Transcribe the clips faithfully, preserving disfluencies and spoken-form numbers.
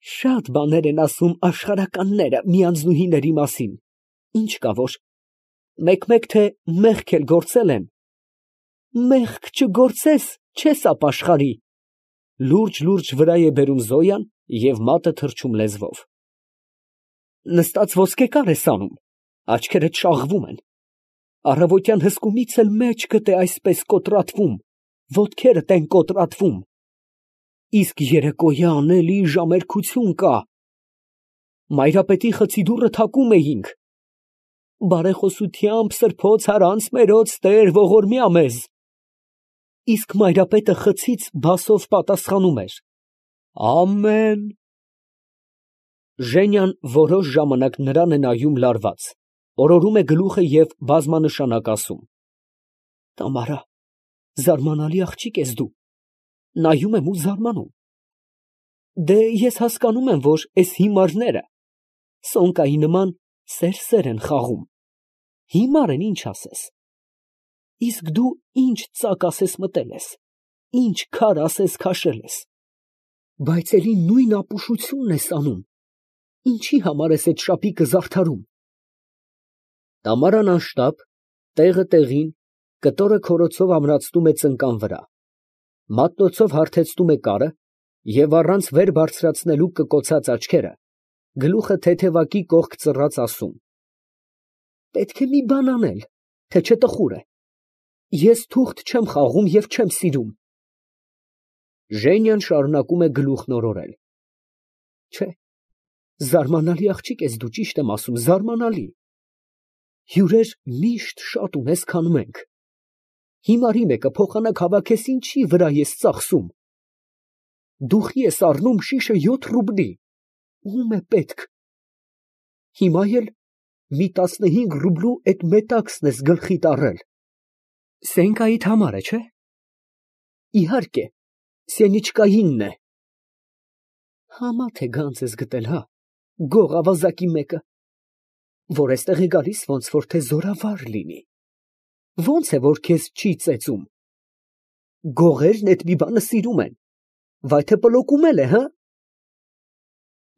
Շատ բաներ են ասում աշխարհականները մի անձնուհիների մասին, ինչ կա որ, մեկ֊մեկ թե մեղք էլ գործել են, մեղք չգործես, չես ապաշխարի, լուրջ֊լուրջ վրա է բերում Զոյան և մատը թռչում լեզվով։ Նստած ոսկեկար ես անում, աչքերդ շաղվում են, առավոտյան հսկումից էլ մեջքդ է այսպես կոտրատվում, ոտքերդ են կոտրատվում, իսկ երեկոյան էլի ժամերկություն կա, մայրապետի խցի դուռը թակում էինք, բարեխոսությամբ սրբոց հարանց մերոց Տեր ողորմյա մեզ, իսկ մայրապետը խցից բասով պատասխանում էր. ամեն։ Ժենյան որոշ ժամանակ նրան է նայում լարված, օրորում է գլուխը և բազմանշանակ ասում. Տամարա, զարմանալի աղջիկ ես դու, նայում եմ ու զարմանում, դե ես հասկանում եմ, որ էս հիմարները սոնկայի նման սեր֊սեր են խաղում, հիմար են, ինչ ասես, իսկ դու ինչ ծակ ասես մտել ես, ինչ քար ասես քաշել ես, բայց էլի նույն ապուշությունն ես անում, ինչի համար ես էդ շապիկը զարդարում։ Տամարան անշտապ, տեղը տեղին, կտորը քորոցով ամրացնում է ծնկան վրա, մատնոցով հարթեցնում է կարը և առանց վեր բարձրացնելու կկոցած աչքերը, գլուխը թեթևակի կողք ծռած ասում. պետք է մի բան անել, թե չէ տխուր է, ես թուղթ չեմ խաղում և չեմ սիրում։ Ժենյան շարունակում է գլուխն օրորել. Չէ, զարմանալի աղջիկ ես դու, ճիշտ եմ ասում, զարմանալի, հյուրեր միշտ շատ ունես, քան մենք, հիմարի մեկը փոխանակ հավաքես ինչի վրա ես ծախսում, դուխի ես առնում շիշը յոթ ռուբլի, ում է պետք, հիմա էլ մի տասնհինգ ռուբլու էդ մետաքսն ես գլխիդ առել, Սենկայիդ համար է, չէ՞։ Իհարկե, Սենիչկայինն է։ Համա թե գանձ ես գտել, հա, գող ավազակի մեկը, որ էստեղ է գալիս, ոնց որ թե զորավար լինի, ոնց է, որ քեզ չի ծեծում, գողերն էդ մի բանը սիրում են, վայ թե պլոկում էլ է, հա։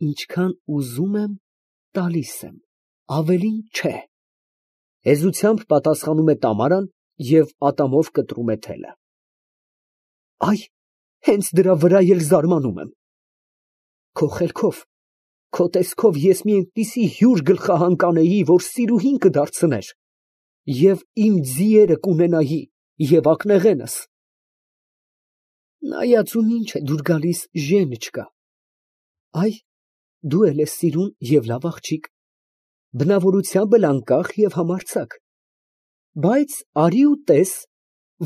Ինչքան ուզում եմ, տալիս եմ, ավելին չէ, հեզությամբ պատասխանում է Տամարան և ատամով կտրում է թելը։ Այ, հենց դրա վրա էլ զարմանում եմ, քո խելքով, քո տեսքով ես մի այնպիսի հյուր գլխահան կանեի, որ սիրուհին կդարձներ, և իմ ձիերը կունենայի, և ակնեղենս։ Նայած ում ինչ է դուր գալիս, Ժենիչկա, այ, դու էլ ես սիրուն և լավ աղջիկ, բնավորությամբ էլ անկախ և համարձակ, բայց արի ու տես,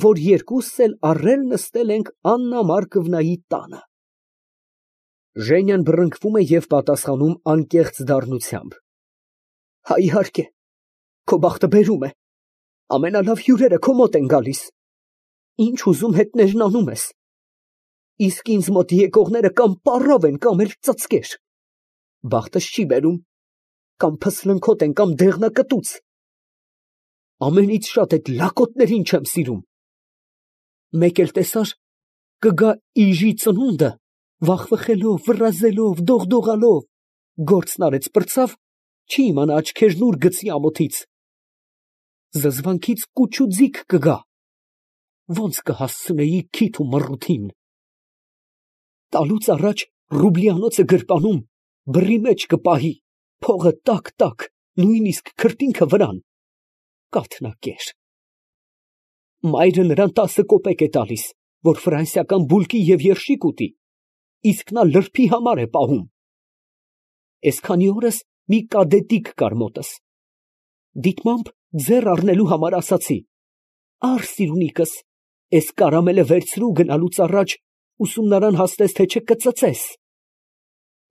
որ երկուսս էլ առել նստել ենք Աննա Մարկովնայի տանը։ Ժենյան բռնկվում է և պատասխանում անկեղծ դառնությամբ. Հա, իհարկե, քո բախտը բերում է, ամենալավ հյուրերը քո մոտ են գալիս, ինչ ուզում հետներն անում ես, իսկ ինձ մոտ եկողները կամ պառավ են, կամ էլ ծծկեր, բախտս չի բերում, կամ փսլնքոտ են, կամ դեղնակտուց, ամենից շատ էդ լակոտներին չեմ սիրում, մեկ էլ տեսար, կգա իժի ծնունդը, վախվխելով, վռազելով, դողդողալով, գործն արեց պրծավ, չի իմանա աչքերն ուր գցի ամոթից, զզվանքից կուչ ու ձիգ կգա, ոնց կհասցնեի քիթ ու մռութին, տալուց առաջ ռուբլիանոցը գրպանում, բռի մեջ կպահի, փողը տակ֊տակ, նույնիսկ քրտինքը վրան, կաթնակեր, մայրը նրան տասը կոպեկ է տալիս, որ ֆրանսիական բուլկի և երշիկ ուտի, իսկ նա լրբի համար է պահում, էսքանի օրս մի կադետիկ կար մոտս, դիտմամբ ձեռ առնելու համար ասացի, առ սիրունիքս, էս կարամելը վերցրու գնալուց առաջ ուսումնարան հասնես, թե չէ կծծես,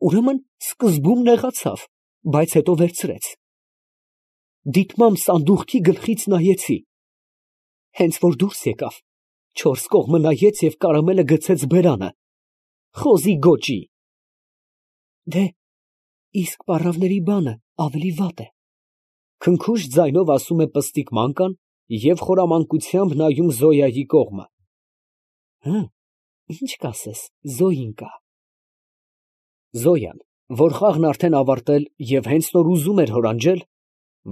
ուրեմն սկզբում նեղացավ, բայց հետո վերցրեց, դիտմամբ սանդուղքի գլխից նայեցի, հենց որ դուրս եկավ, չորս կողմը նայեց և կարամելը գցեց բերանը, խոզի գոճի։ Դե, իսկ պառավների բանը ավելի վատ է, քնքուշ ձայնով ասում է պստիկ Մանկան և խորամանկությամբ նայում Զոյայի կողմը։ Հը, ինչ կասես, Զոյինկա։ Զոյան, որ խաղն արդեն ավարտել և հենց նոր ուզում էր հորանջել,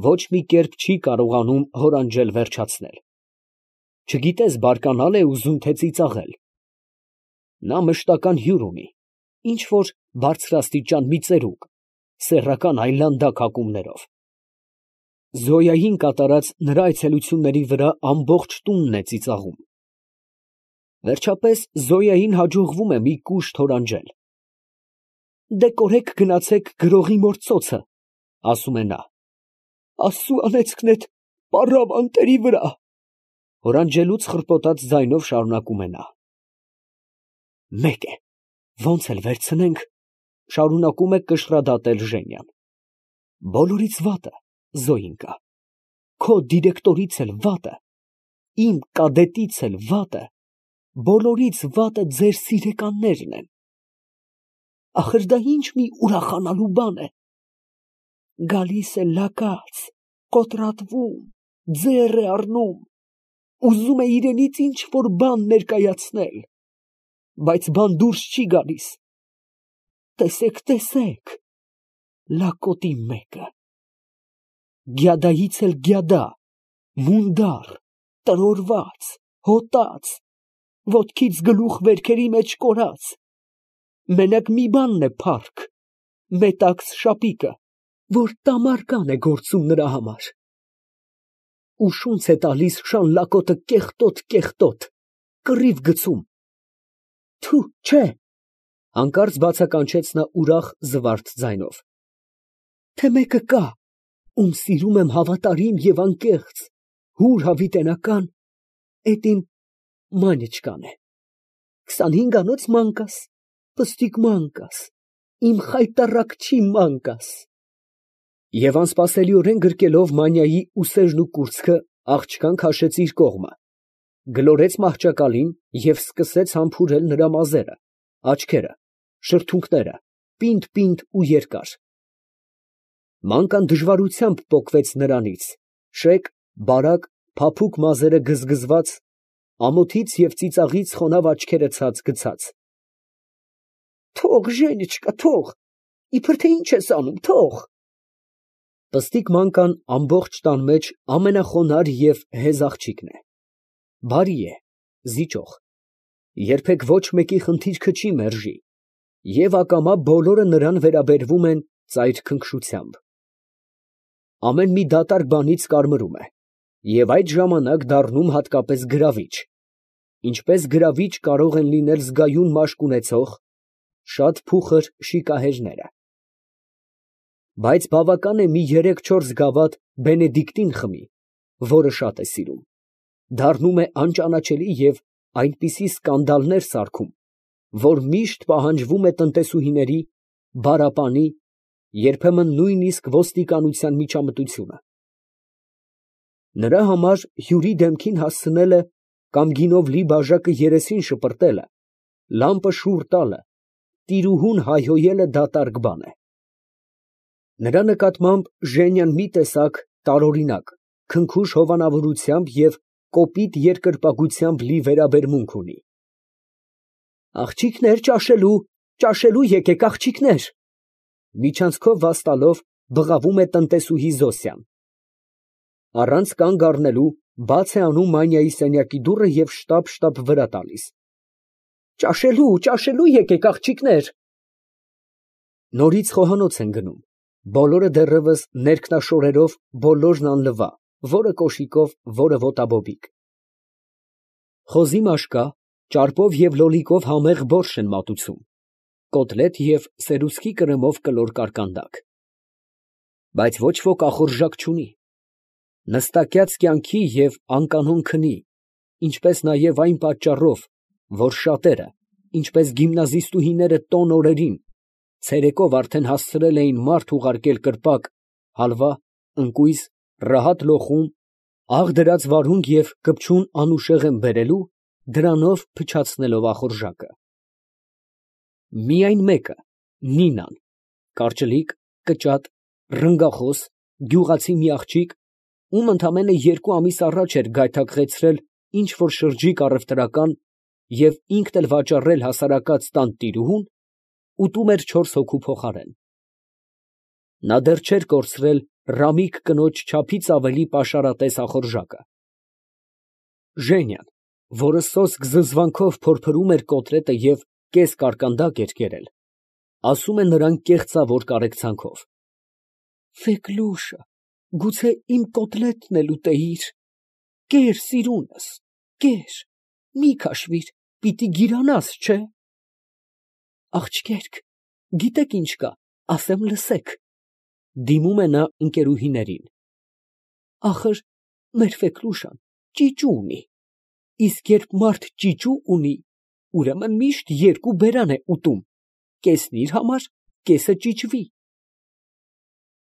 ոչ մի կերպ չի կարողանում հորանջել վերջացնել. չգիտես բարկանալ է ուզում, թե ծիծաղել. նա մշտական հյուր ունի, ինչ֊որ բարձրաստիճան մի ծերուկ, սեռական այլանդակ հագումներով. Զոյային կատարած նրա այցելությունների վրա ամբողջ տունն է ծիծաղում։ Վերջապես Զոյային հաջողվում է մի կուշտ հորանջել։ «Դե կորեք գնացեք գրողի մոր ծոցը», ասում է նա։ «Աստծու անեծքնետ պառավ անտերի վրա», հորանջելուց խռպոտած ձայնով շարունակում է նա։ «Մեկ է, ոնց էլ վերցնենք», շարունակում է կշռադատել Ժենյան։ «Բոլորից վատը Զոյինկա, քո դիրեկտորից էլ վատը, իմ կադետից էլ վատը, բոլորից վատը ձեր սիրեկաններն են։ Ախր դա ինչ մի ուրախանալու բան է։ Գալիս է լակած, կոտրատվում, ձեռ է առնում, ուզում է իրենից ինչ֊որ բան ներկայացնել, բայց բան դուրս չի գալիս։ Տեսեք, տեսեք, լակոտի մեկը, գյադայից էլ գյադա, մունդար, տրորված, հոտած, ոտքից գլուխ վերքերի մեջ կորած, մենակ մի բանն է փառք, մետաքս շապիկը, որ տամարկան է գործում նրա համար։ Ու շունց է տալիս շան լակոտը կեղտոտ֊կեղտոտ, կռիվ գցում։ Թու, չէ, հանկարծ բացականչեց նա ուրախ զվարթ ձայնով, թե մեկը կա, ում սիրում եմ հավատարիմ և անկեղծ, հուր հավիտենական, էդ իմ Մանյաչկան է, քսանհինգանոց մանկաս, պստիկ մանկաս, իմ խայտառակչի մանկաս։ Եվ անսպասելիորեն գրկելով Մանյայի ուսերն ու կուրծքը, աղջկան քաշեց իր կողմը, գլորեց մահճակալին և սկսեց համբուրել նրա մազերը, աչքերը, շրթունքները, պինդ֊պինդ ու երկար։ Մանկան դժվարությամբ պոկվեց նրանից, շեկ, բարակ, փափուկ մազերը գզգզված, ամոթից և ծիծաղից խոնավ աչքերը ցած գցած։ Թող, Ժենիչկա, թող, իբր թե ինչ ես անում, թող։ Պստիկ մանկան ամբողջ տան մեջ ամենախոնարհ և հեզ աղջիկն է, բարի է, զիջող, երբեք ոչ մեկի խնդիրքը չի մերժի, և ակամա բոլորը նրան վերաբերվում են ծայր քնքշությամբ։ Ամեն մի դատարկ բանից կարմրում է, և այդ ժամանակ դառնում հատկապես գրավիչ, ինչպես գրավիչ կարող են լինել զգայուն մաշկ ունեցող, շատ փուխր շիկահերները։ Բայց բավական է մի երեք֊չորս գավաթ Բենեդիկտին խմի, որը շատ է սիրում, դառնում է անճանաչելի և այնպիսի սկանդալներ սարքում, որ միշտ պահանջվում է տնտեսուհիների, բարապանի, երբեմն նույնիսկ ոստիկանության միջամտությունը։ Նրա համար հյուրի դեմքին հասցնելը կամ գինով լի բաժակը երեսին շպրտելը, լամպը շուռ տալը, տիրուհուն հայհոյելը դատարկ բան է։ Նրա նկատմամբ Ժենյան մի տեսակ տարօրինակ, քնքուշ հովանավորությամբ և կոպիտ երկրպագությամբ լի վերաբերմունք ունի։ Աղջիկներ ճաշելու, ճաշելու եկեք, աղջիկներ, միջանցքով վաստալով բղավում է տնտեսուհի Զոսյան։ Առանց կանգ առնելու բաց է անում Մանյայի սենյակի դուռը և շտապ֊շտապ վրա տալիս։ Ճաշելու, ճաշելու եկեք, աղջիկներ։ Նորից խոհանոց են գնում, բոլորը դեռևս ներքնաշորերով, բոլորն անլվա, որը կոշիկով, որը ոտաբոբիկ։ Խոզի մաշկա, ճարպով և լոլիկով համեղ բորշ են մատուցում, կոտլետ և սերուցքի կրեմով կլոր կարկանդակ։ Բայց ոչ ոք ախորժակ չունի։ Նստակյաց կյանքի և անկանոն քնի, ինչպես նաև այն պատճառով, որ շատերը, ինչպես գիմնազիստուհիները տոն օրերին, ցերեկով արդեն հասցրել էին մարդ ուղարկել կրպակ, հալվա, ընկույզ, ռահատ լոխում, աղ դրած վարունգ և կպչուն անուշեղեն բերելու, դրանով փչացնելով ախորժակը։ Միայն մեկը, Նինան, կարճլիկ, կճատ, ռնգախոս, գյուղացի մի աղջիկ, ում ընդամենը երկու ամիս առաջ էր գայթակղեցրել ինչ֊որ շրջիկ առևտրական և ինքն էլ վաճառել հասարակած տան տիրուհուն, ուտում էր չորս հոգու փոխարեն։ Նա դեռ չէր կորցրել Ռամիկ կնոջ չափից ավելի պաշարատես ախորժակը։ Ժենյան, որը սոսկ զզվանքով փորփրում էր կոտլետը և կես կարկանդակ էր կերել, ասում է նրան կեղծավոր կարեկցանքով. «Ֆեկլուշա, գուցե իմ կոտլետն էլ ուտեիր, կեր սիրունս, կեր, մի քաշվիր, պիտի գիրանաս, չէ՞»։ Աղջիկերք, գիտեք ինչ կա, ասեմ լսեք, դիմում է նա ընկերուհիներին, ախր մեր Ֆեկլուշան ճիճու ունի, իսկ երբ մարդ ճիճու ունի, ուրեմն միշտ երկու բերան է ուտում, կեսն իր համար, կեսը ճիճվի։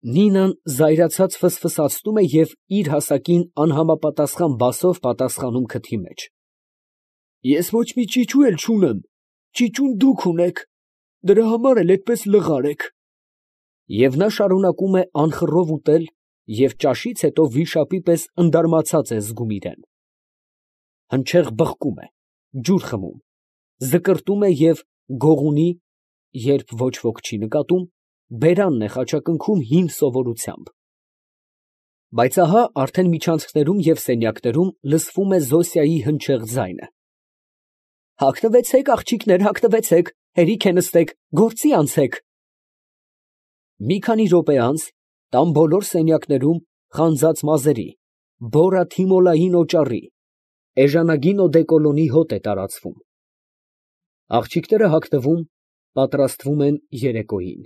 Նինան զայրացած ֆսֆսացնում է և իր հասակին անհամապատասխան բասով պատասխանում քթի մեջ. Ես ոչ մի ճիճու էլ չունեմ, ճիճուն դուք ունեք, դրա համար էլ այդպես լղար եք։ Եվ նա շարունակում է անխռով ուտել և ճաշից հետո վիշապի պես ընդարմացած է զգում իրան։ Հնչեղ բղկում է, ջուր խմում, զկրտում է և գողունի (երբ ոչ ոք չի նկատում) բերանն է խաչակնքում հին սովորությամբ։ Բայց ահա արդեն միջանցքներում և սենյակներում լսվում է Զոսիայի հնչեղ ձայնը. Հագնվեցեք, աղջիկներ, հագնվեցեք, հերիք է նստեք, գործի անցեք։ Մի քանի րոպե անց տան բոլոր սենյակներում խանձած մազերի, բորա թիմոլային օճառի, էժանագին օդեկոլոնի հոտ է տարածվում։ Աղջիկները հագնվում, պատրաստվում են երեկոյին։